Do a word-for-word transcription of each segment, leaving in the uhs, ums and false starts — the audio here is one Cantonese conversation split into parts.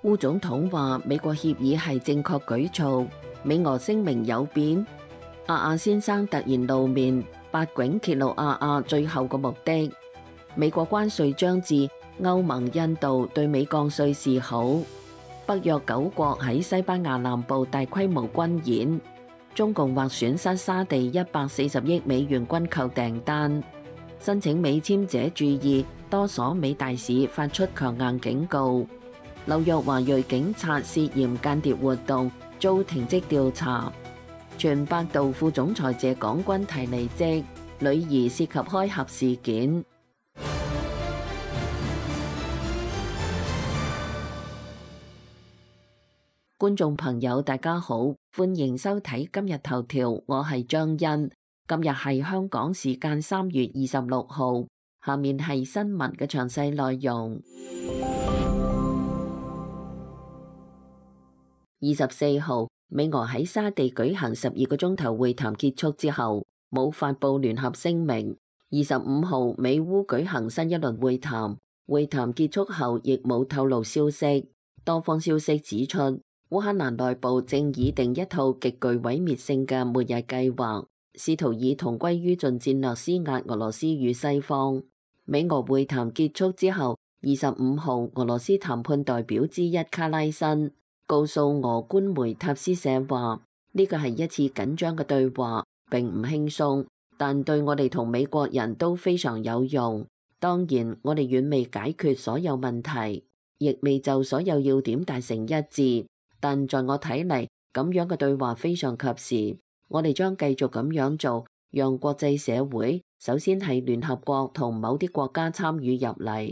烏總統話美國協議係正確舉措，美俄聲明有變。阿阿先生突然露面，八卦揭露阿阿最後嘅目的。美國關稅將至，歐盟、印度對美降稅示好。北約九國喺西班牙南部大規模軍演。中共或損失沙地一百四十億美元軍購訂單。申請美簽者注意，多所美大使發出強硬警告。紐約華裔警察涉嫌間諜活動遭停職調查。全百度副總裁謝廣軍提離職，女兒涉及開盒事件。觀眾朋友大家好，歡迎收睇今日頭條，我係張欣。今日係香港時間三月二十六號，下面係新聞嘅詳細內容。二十四號，美俄喺沙地舉行十二個鐘頭會談結束之後，冇發佈聯合聲明。二十五號，美烏舉行新一輪會談，會談結束後亦冇透露消息。多方消息指出，烏克蘭內部正擬定一套極具毀滅性嘅末日計劃，試圖以同歸於盡戰略施壓俄羅斯與西方。美俄會談結束之後，二十五號，俄羅斯談判代表之一卡拉申告訴俄官媒塔斯社話，呢個係一次緊張嘅對話，並唔輕鬆，但對我哋同美國人都非常有用。當然，我哋遠未解決所有問題，亦未就所有要點達成一致。但在我睇嚟，咁樣嘅對話非常及時。我哋將繼續咁樣做，讓國際社會，首先係聯合國同某啲國家參與入嚟。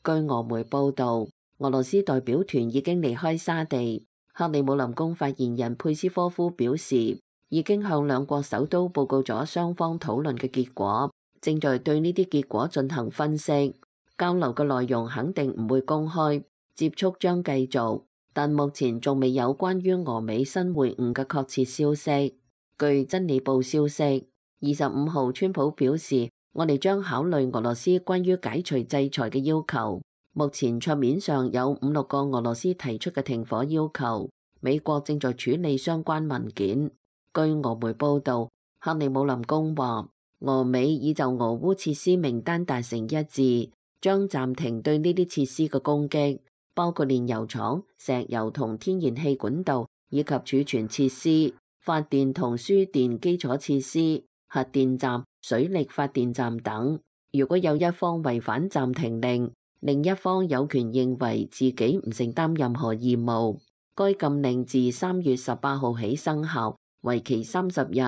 據俄媒報導，俄羅斯代表團已經離開沙地。克里姆林宮發言人佩斯科夫表示，已經向兩國首都報告咗雙方討論嘅結果，正在對呢啲結果進行分析。交流嘅內容肯定唔會公開，接觸將繼續。但目前仲未有關於俄美新會晤嘅確切消息。據真理報消息，二十五號川普表示，我哋將考慮俄羅斯關於解除制裁嘅要求。目前桌面上有五六個俄羅斯提出嘅停火要求，美國正在處理相關文件。據俄媒報導，克里姆林宮話，俄美已就俄烏設施名單達成一致，將暫停對呢啲設施嘅攻擊。包括煉油廠、石油同天然氣管道，以及儲存設施、發電同輸電基礎設施、核電站、水力發電站等。如果有一方違反暫停令，另一方有權認為自己唔承擔任何義務。該禁令自三月十八號起生效，為期三十日，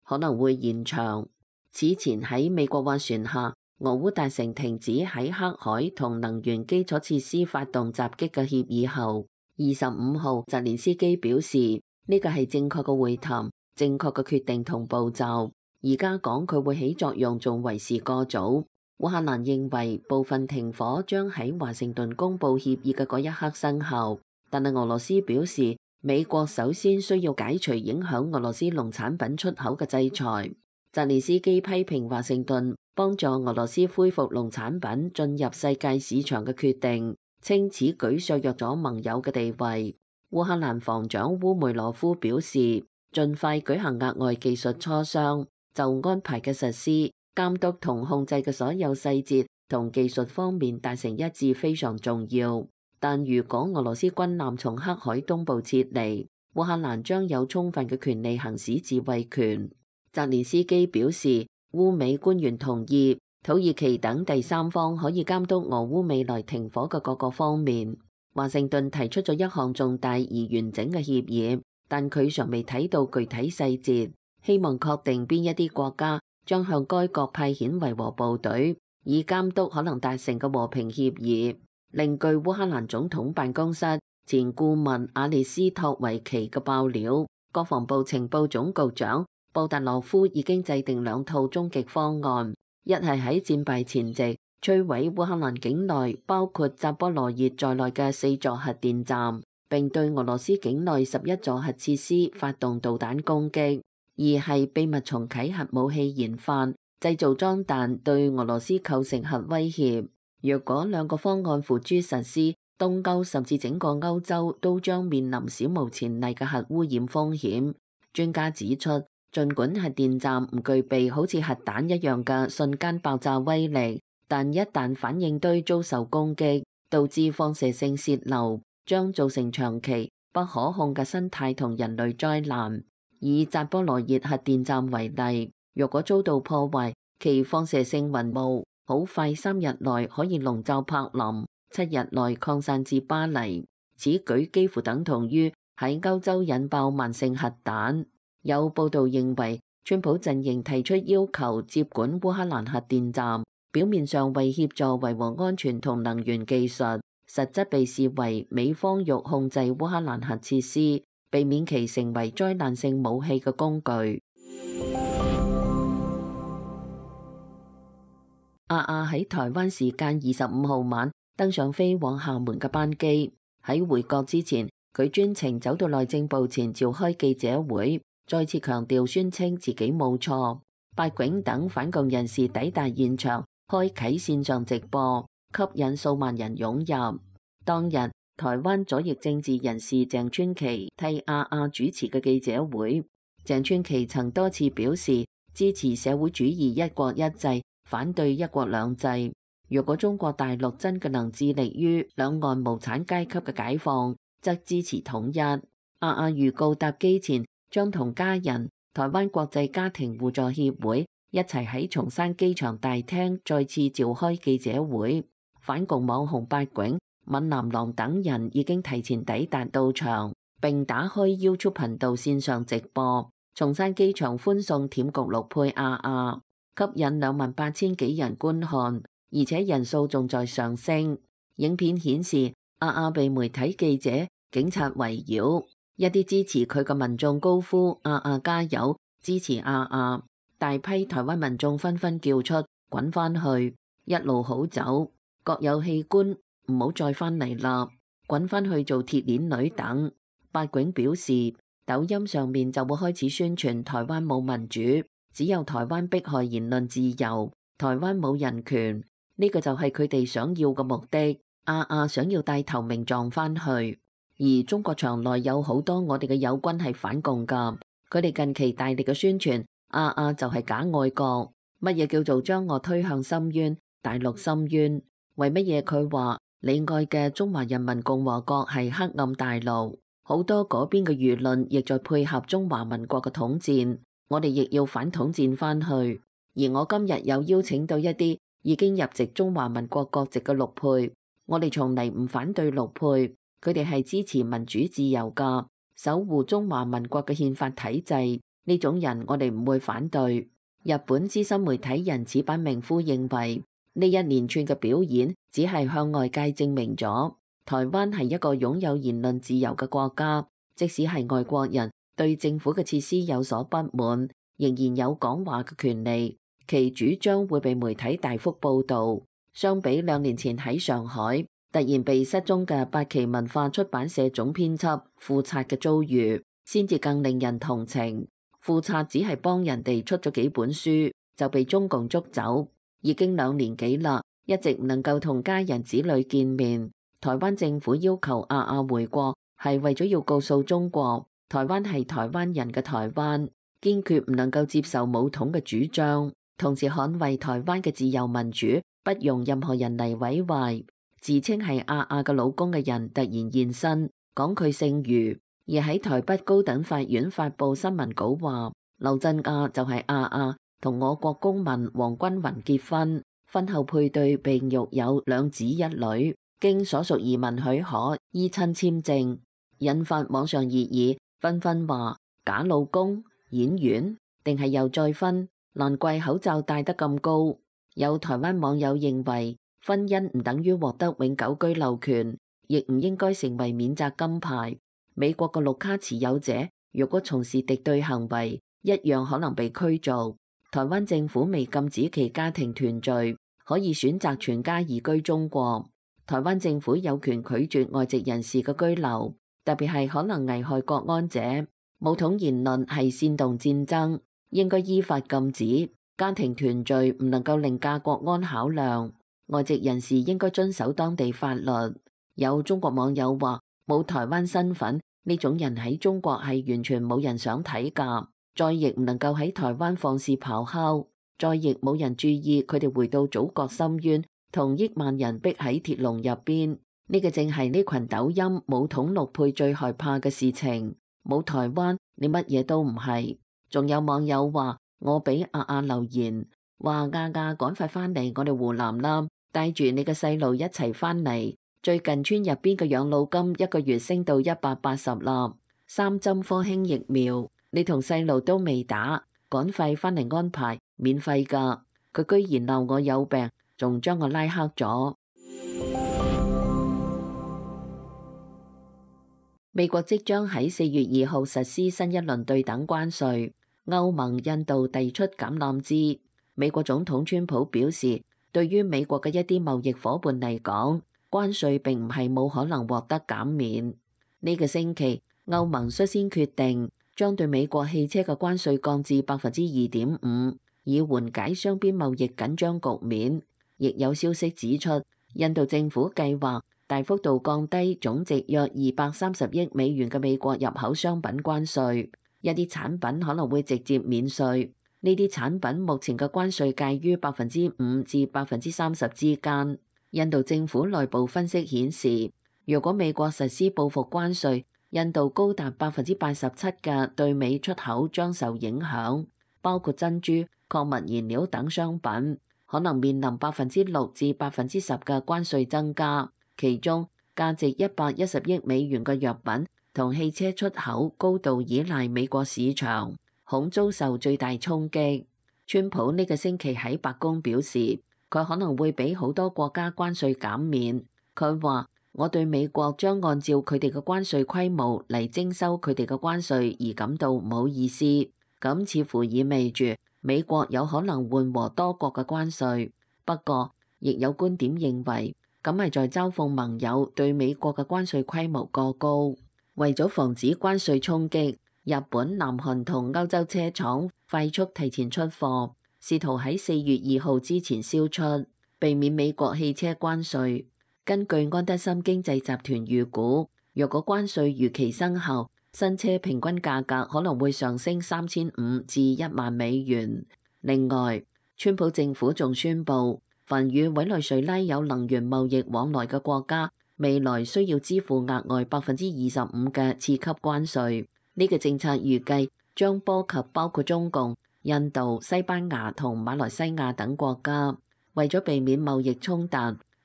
可能會延長。此前喺美國斡旋下，俄烏達成停止喺黑海同能源基礎設施發動襲擊嘅協議後，二十五號澤連斯基表示呢個係正確嘅會談，正確嘅決定同步驟。而家講佢會起作用仲為時過早。烏克蘭認為部分停火將喺華盛頓公佈協議嘅嗰一刻生效，但係俄羅斯表示美國首先需要解除影響俄羅斯農產品出口嘅制裁。澤連斯基批評華盛頓幫助俄羅斯恢復農產品進入世界市場嘅決定，稱此舉削弱咗盟友嘅地位。烏克蘭防長烏梅羅夫表示，盡快舉行額外技術磋商，就安排嘅實施、監督同控制嘅所有細節同技術方面達成一致非常重要。但如果俄羅斯軍艦從黑海東部撤離，烏克蘭將有充分嘅權利行使自衛權。澤連斯基表示，烏美官員同意土耳其等第三方可以監督俄烏未來停火嘅各個方面。華盛頓提出咗一項重大而完整嘅協議，但佢尚未睇到具體細節，希望確定邊一啲國家將向該國派遣維和部隊，以監督可能達成嘅和平協議。另據烏克蘭總統辦公室前顧問阿列斯托維奇嘅爆料，國防部情報總局長布達羅夫已經制定兩套終極方案，一係喺戰敗前夕摧毀烏克蘭境內包括扎波羅熱在內嘅四座核電站，並對俄羅斯境內十一座核設施發動導彈攻擊；二係秘密重啟核武器研發，製造裝彈對俄羅斯構成核威脅。若果兩個方案付諸實施，東歐甚至整個歐洲都將面臨史無前例嘅核污染風險。專家指出，儘管核電站唔具備好似核彈一樣嘅瞬間爆炸威力，但一旦反應堆遭受攻擊，導致放射性洩漏，將造成長期不可控嘅生態同人類災難。以扎波羅熱核電站為例，若果遭到破壞，其放射性雲霧好快三日內可以籠罩柏林，七日內擴散至巴黎。此舉幾乎等同於喺歐洲引爆慢性核彈。有報道認為，川普陣營提出要求接管烏克蘭核電站，表面上為協助維護安全同能源技術，實質被視為美方欲控制烏克蘭核設施，避免其成為災難性武器嘅工具。阿阿喺台灣時間二十五號晚登上飛往廈門嘅班機，喺回國之前，佢專程走到內政部前召開記者會，再次強調宣稱自己冇錯。八囧等反共人士抵達現場，開啟線上直播，吸引數萬人湧入。當日，台灣左翼政治人士鄭川琪替阿阿主持嘅記者會。鄭川琪曾多次表示支持社會主義一國一制，反對一國兩制。若果中國大陸真嘅能致力於兩岸無產階級嘅解放，則支持統一。阿阿預告搭機前將同家人、台灣國際家庭互助協會一齊喺松山機場大廳再次召開記者會。反共網紅八囧、閩南郎等人已經提前抵達到場，並打開 YouTube 頻道線上直播。松山機場歡送舔焗陸配阿阿，吸引兩萬八千幾人觀看，而且人數仲在上升。影片顯示阿阿被媒體記者、警察圍繞。一啲支持佢嘅民眾高呼阿阿加油，支持阿阿。大批台灣民眾紛紛叫出滾返去，一路好走，各有器官，唔好再返嚟啦，滾返去做鐵鏈女等。八囧表示，抖音上面就會開始宣傳台灣冇民主，只有台灣迫害言論自由，台灣冇人權，呢個就係佢哋想要嘅目的。阿阿想要帶頭名狀返去。而中國場內有好多我哋嘅友軍係反共㗎，佢哋近期大力嘅宣傳阿阿就係假愛國。乜嘢叫做將我推向深淵？大陸深淵？為乜嘢佢話你愛嘅中華人民共和國係黑暗大陸？好多嗰邊嘅輿論亦在配合中華民國嘅統戰，我哋亦要反統戰返去。而我今日有邀請到一啲已經入籍中華民國國籍嘅陸配，我哋從嚟唔反對陸配。佢哋係支持民主自由㗎，守護中華民國嘅憲法體制，呢種人我哋唔會反對。日本資深媒體人矢板明夫認為，呢一連串嘅表演只係向外界證明咗台灣係一個擁有言論自由嘅國家，即使係外國人對政府嘅設施有所不滿，仍然有講話嘅權利，其主張會被媒體大幅報導。相比兩年前喺上海突然被失蹤嘅八旗文化出版社總編輯富察嘅遭遇，先至更令人同情。富察只係幫人哋出咗幾本書，就被中共捉走，已經兩年幾啦，一直唔能夠同家人子女見面。台灣政府要求阿阿回國，係為咗要告訴中國，台灣係台灣人嘅台灣，堅決唔能夠接受武統嘅主張，同時捍衛台灣嘅自由民主，不容任何人嚟毀壞。自稱係阿阿嘅老公嘅人突然現身，講佢姓余，而喺台北高等法院發布新聞稿話，劉振亞就係阿阿同我國公民黃君雲結婚，婚後配對並育有兩子一女，經所屬移民許可依親簽證，引發網上熱議，紛紛話假老公、演員定係又再婚，難怪口罩戴得咁高。有台灣網友認為，婚姻唔等於獲得永久居留權，亦唔應該成為免責金牌。美國嘅綠卡持有者如果從事敵對行為，一樣可能被驅逐。台灣政府未禁止其家庭團聚，可以選擇全家移居中國。台灣政府有權拒絕外籍人士嘅居留，特別係可能危害國安者。武統言論係煽動戰爭，應該依法禁止。家庭團聚唔能夠凌駕國安考量。外籍人士應該遵守當地法律。有中國網友話：冇台灣身份呢種人喺中國係完全冇人想睇㗎，再亦唔能夠喺台灣放肆咆哮，再亦冇人注意佢哋回到祖國深淵，同億萬人逼喺鐵籠入邊。呢個正係呢群抖音冇統陸配最害怕嘅事情。冇台灣，你乜嘢都唔係。仲有網友話：我俾阿阿留言，話亞亞趕快翻嚟我哋湖南啦，帶住你嘅細路一齊翻嚟。最近村入邊嘅養老金一個月升到一百八十啦。三針科興疫苗，你同細路都未打，趕快翻嚟安排，免費㗎。佢居然鬧我有病，仲將我拉黑咗。美國即將喺四月二號實施新一輪對等關稅，歐盟、印度遞出橄欖枝。美國總統川普表示，對於美國嘅一啲貿易夥伴嚟講，關稅並唔係冇可能獲得減免。呢個星期，歐盟率先決定將對美國汽車嘅關稅降至百分之二點五，以緩解雙邊貿易緊張局面。亦有消息指出，印度政府計劃大幅度降低總值約二百三十億美元嘅美國入口商品關稅，一啲產品可能會直接免稅。呢啲產品目前嘅關稅介於百分之五至百分之三十之間。印度政府內部分析顯示，如果美國實施報復關稅，印度高達百分之八十七嘅對美出口將受影響，包括珍珠、礦物燃料等商品，可能面臨百分之六至百分之十嘅關稅增加。其中價值一百一十億美元嘅藥品同汽車出口高度依賴美國市場，恐遭受最大衝擊。川普呢個星期喺白宮表示，佢可能會俾好多國家關稅減免。佢話：我對美國將按照佢哋嘅關稅規模嚟徵收佢哋嘅關稅而感到唔好意思。咁似乎意味住美國有可能緩和多國嘅關稅。不過，亦有觀點認為，咁係在嘲諷盟友對美國嘅關稅規模過高。為咗防止關稅衝擊，日本、南韓同歐洲車廠快速提前出貨，試圖喺四月二號之前銷出，避免美國汽車關稅。根據安德森經濟集團預估，若果關稅如期生效，新車平均價格可能會上升三千五至一萬美元。另外，川普政府仲宣布，凡與委內瑞拉有能源貿易往來嘅國家，未來需要支付額外百分之二十五嘅次級關稅。呢個政策預計將波及包括中共、印度、西班牙同馬來西亞等國家。為咗避免貿易衝突，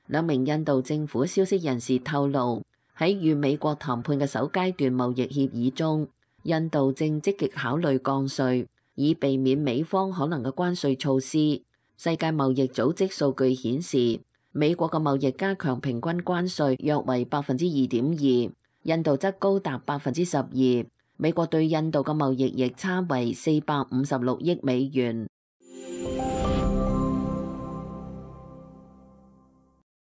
兩名印度政府消息人士透露，喺與美國談判嘅首階段貿易協議中，印度正積極考慮降稅，以避免美方可能嘅關稅措施。世界貿易組織數據顯示，美國嘅貿易加強平均關稅約為百分之二點二，印度則高達百分之十二。美國對印度嘅貿易逆差為四百五十六億美元。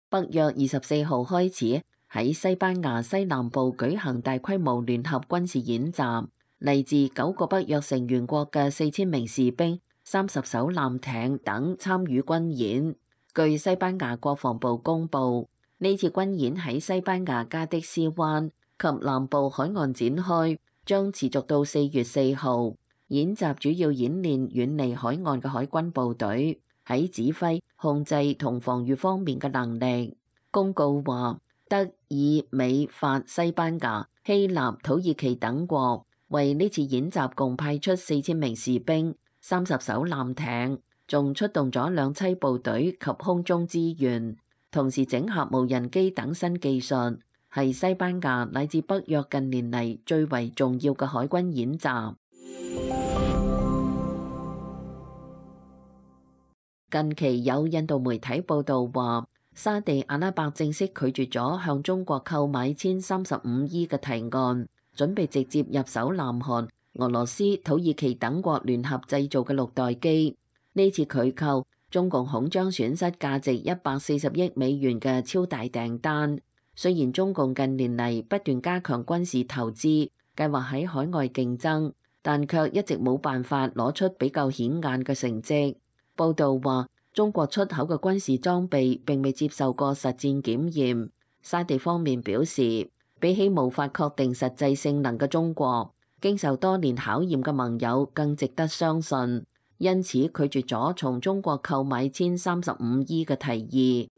北約二十四號開始喺西班牙西南部舉行大規模聯合軍事演習，嚟自九個北約成員國嘅四千名士兵、三十艘艦艇等參與軍演。據西班牙國防部公布，呢次軍演喺西班牙加的斯灣及南部海岸展開，將持續到四月四號。演習主要演練遠離海岸嘅海軍部隊喺指揮、控制同防禦方面嘅能力。公告話，德、意、美、法、西班牙、希臘、土耳其等國為呢次演習共派出四千名士兵、三十艘艦艇，仲出動咗兩棲部隊及空中支援，同時整合無人機等新技術，係西班牙乃至北約近年嚟最為重要嘅海軍演習。近期有印度媒體報道話，沙地阿拉伯正式拒絕咗向中國購買殲三十五 E 嘅提案，準備直接入手南韓、俄羅斯、土耳其等國聯合製造嘅六代機。呢次拒購，中共恐將損失價值一百四十億美元嘅超大訂單。雖然中共近年嚟不斷加強軍事投資，計劃喺海外競爭，但卻一直冇辦法攞出比較顯眼嘅成績。報道話，中國出口嘅軍事裝備並未接受過實戰檢驗，沙地方面表示，比起無法確定實際性能嘅中國，經受多年考驗嘅盟友更值得相信，因此拒絕咗從中國購買一千三十五億嘅提議。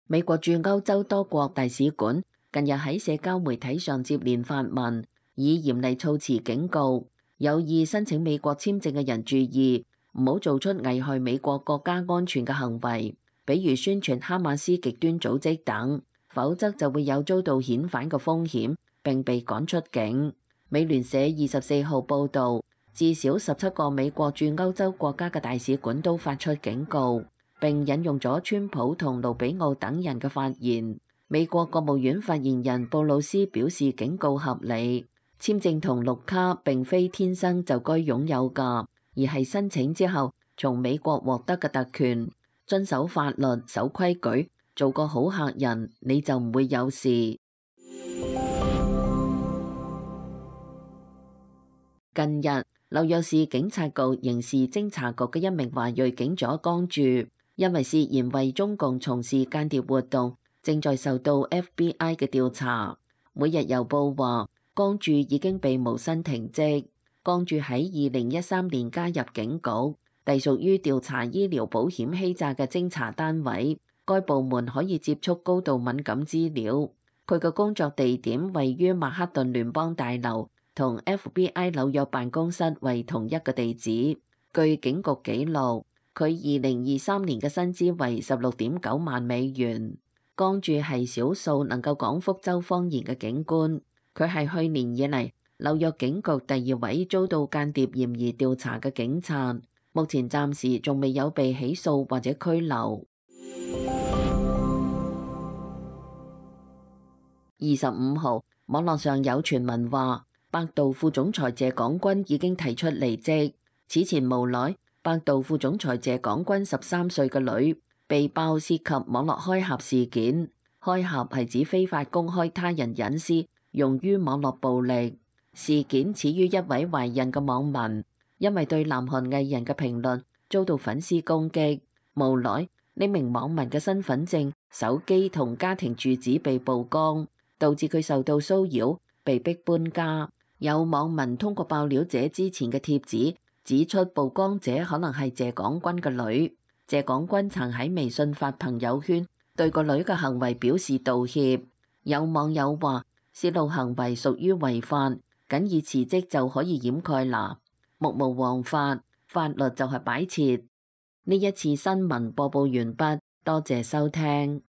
美國駐歐洲多國大使館近日喺社交媒體上接連發文，以嚴厲措辭警告有意申請美國簽證嘅人注意，唔好做出危害美國國家安全嘅行為，比如宣傳哈馬斯極端組織等，否則就會有遭到遣返嘅風險並被趕出境。美聯社二十四號報導，至少十七個美國駐歐洲國家嘅大使館都發出警告，並引用咗川普同盧比奧等人嘅發言。美國國務院發言人布魯斯表示警告合理，簽證同綠卡並非天生就該擁有㗎，而係申請之後從美國獲得嘅特權。遵守法律、守規矩，做個好客人，你就唔會有事。近日，紐約市警察局刑事偵查局嘅一名華裔警長江柱，因為涉嫌為中共從事間諜活動，正在受到 F B I 嘅調查。每日郵報話，江柱已經被無薪停職。江柱喺二零一三年加入警局，隸屬於調查醫療保險欺詐嘅偵查單位。該部門可以接觸高度敏感資料。佢嘅工作地點位於曼克頓聯邦大樓，同 F B I 紐約辦公室為同一個地址。據警局記錄，佢二零二三年嘅薪資為十六點九萬美元。江柱係少數能夠講福州方言嘅警官。佢係去年以嚟紐約警局第二位遭到間諜嫌疑調查嘅警察，目前暫時仲未有被起訴或者拘留。二十五號，網絡上有傳聞話，百度副總裁謝廣軍已經提出離職。此前無奈，百度副總裁謝廣軍十三歲嘅女被爆涉及網絡開盒事件。開盒係指非法公開他人隱私，用於網絡暴力。事件始於一位懷孕嘅網民，因為對南韓藝人嘅評論遭到粉絲攻擊，無奈呢名網民嘅身份證、手機同家庭住址被曝光，導致佢受到騷擾，被逼搬家。有網民通過爆料者之前嘅貼紙指出，曝光者可能係謝廣軍嘅女。謝廣軍曾喺微信發朋友圈對個女嘅行為表示道歉。有網友話，泄露行為屬於違法，僅以辭職就可以掩蓋啦。目無王法，法律就係擺設。呢一次新聞播報完畢，多謝收聽。